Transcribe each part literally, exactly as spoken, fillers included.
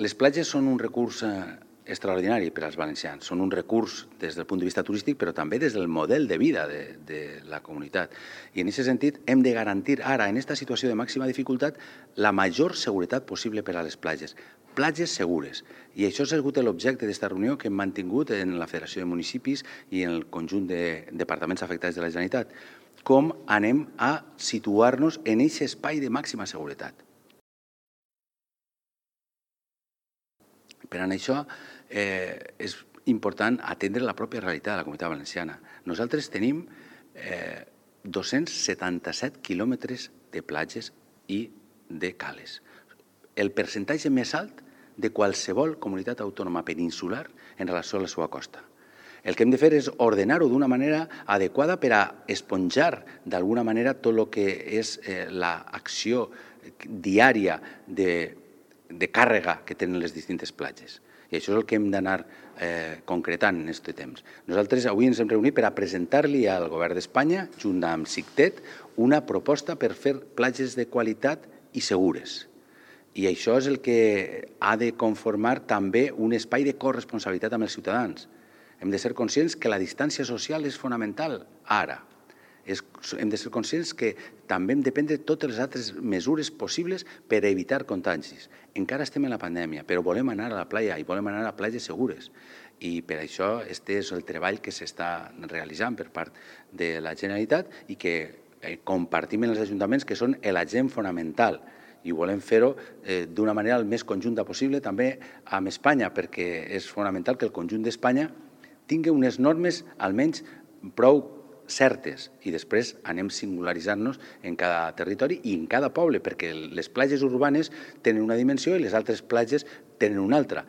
Les platges són un recurs extraordinari per als valencians. Són un recurs des del punt de vista turístic, però també des del model de vida de, de la comunitat. I en aquest sentit hem de garantir ara, en aquesta situació de màxima dificultat, la major seguretat possible per a les platges. Platges segures. I això ha sigut l'objecte d'aquesta reunió que hem mantingut en la Federació de Municipis i en el conjunt de departaments afectats de la Generalitat. Com anem a situar-nos en aquest espai de màxima seguretat. Per a això eh, és important atendre la pròpia realitat de la Comunitat Valenciana. Nosaltres tenim eh, dos-cents setanta-set quilòmetres de platges i de cales. El percentatge més alt de qualsevol comunitat autònoma peninsular en relació a la seva costa. El que hem de fer és ordenar-ho d'una manera adequada per a esponjar d'alguna manera tot el que és eh, l'acció diària de de càrrega que tenen les distintes platges. I això és el que hem d'anar eh, concretant en aquest temps. Nosaltres avui ens hem reunit per a presentar-li al Govern d'Espanya, junt amb SICTET, una proposta per fer platges de qualitat i segures. I això és el que ha de conformar també un espai de corresponsabilitat amb els ciutadans. Hem de ser conscients que la distància social és fonamental ara. És, hem de ser conscients que també hem de prendre totes les altres mesures possibles per evitar contagis. Encara estem en la pandèmia, però volem anar a la platja i volem anar a platges segures. I per això aquest és el treball que s'està realitzant per part de la Generalitat i que eh, compartim en els ajuntaments que són l'agent fonamental. I volem fer-ho eh, d'una manera el més conjunta possible també amb Espanya, perquè és fonamental que el conjunt d'Espanya tingui unes normes almenys prou certes i després anem singularitzant-nos en cada territori i en cada poble, perquè les platges urbanes tenen una dimensió i les altres platges tenen una altra.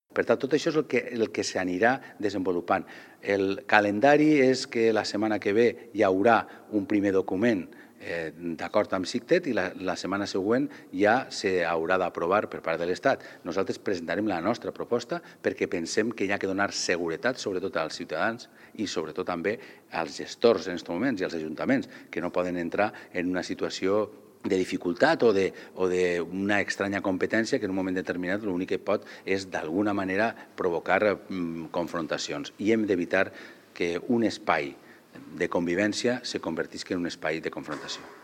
Per tant, tot això és el que, el que s'anirà desenvolupant. El calendari és que la setmana que ve hi haurà un primer document eh, d'acord amb SICTET i la, la setmana següent ja s'haurà d'aprovar per part de l'Estat. Nosaltres presentarem la nostra proposta perquè pensem que hi ha que donar seguretat sobretot als ciutadans i sobretot també als gestors en aquests moments i als ajuntaments que no poden entrar en una situació de dificultat o d'una estranya competència que en un moment determinat l'únic que pot és d'alguna manera provocar mm, confrontacions. I hem d'evitar que un espai de convivència se convertisca en un espai de confrontació.